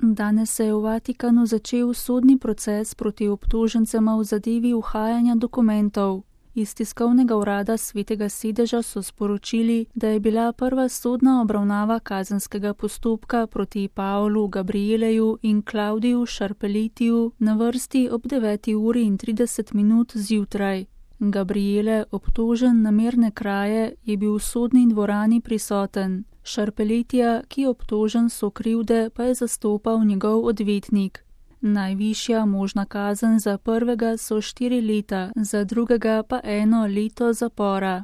Danes se je v Vatikanu začel sodni proces proti obtožencema v zadevi uhajanja dokumentov. Iz tiskovnega urada Svetega sedeža so sporočili, da je bila prva sodna obravnava kazenskega postopka proti Paolu Gabrieleju in Claudiju Sciarpelletiju na vrsti ob 9:30 zjutraj. Gabriele, obtožen namerne kraje, je bil v sodni dvorani prisoten. Sciarpelletija, ki je obtožen sokrivde, pa je zastopal njegov odvetnik. Najvišja možna kazen za prvega so 4 leta, za drugega pa 1 leto zapora.